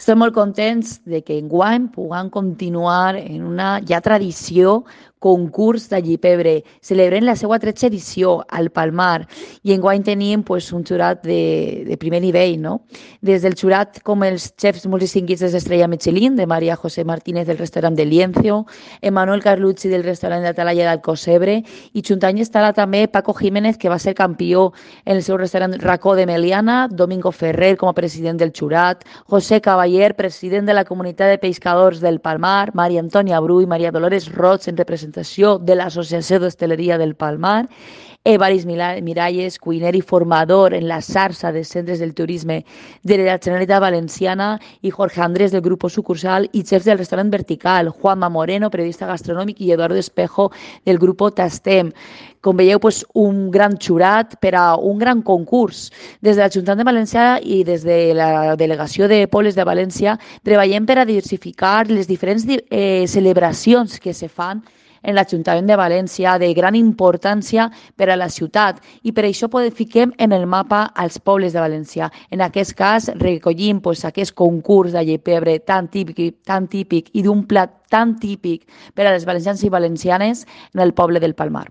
Estem molt contents de que enguany puguem continuar en una ja tradició concurs d'allipebre. Celebrem la seva 13a edició al Palmar i enguany tenim pues, un jurat de primer nivell, no? Des del jurat com els xefs molt distinguits d'Estrella Michelin, de Maria José Martínez del restaurant de Lienzo, Emanuel Carlucci del restaurant de Atalaya d'Alcocebre i juntant estarà també Paco Jiménez, que va ser campió en el seu restaurant Racó de Meliana, Domingo Ferrer com a president del jurat, José Cavaller, president de la comunitat de pescadors del Palmar, Maria Antònia Bru i Maria Dolores Roig en representació de l'Associació d'Hostaleria del Palmar, Evaris Miralles, cuiner i formador en la xarxa de centres del turisme de la Generalitat Valenciana, i Jorge Andrés del grup sucursal i xefs del restaurant Vertical, Juanma Moreno, periodista gastronòmic, i Eduardo Espejo del grup Tastem. Com veieu, pues, un gran jurat per a un gran concurs. Des de l'Ajuntament de València i des de la Delegació de Pobles de València treballem per a diversificar les diferents celebracions que se fan en l'Ajuntament de València de gran importància per a la ciutat i per això fiquem en el mapa als pobles de València. En aquest cas recollim pues, aquest concurs d'allipebre tan típic i d'un plat tan típic per a les valencians i valencianes en el poble del Palmar.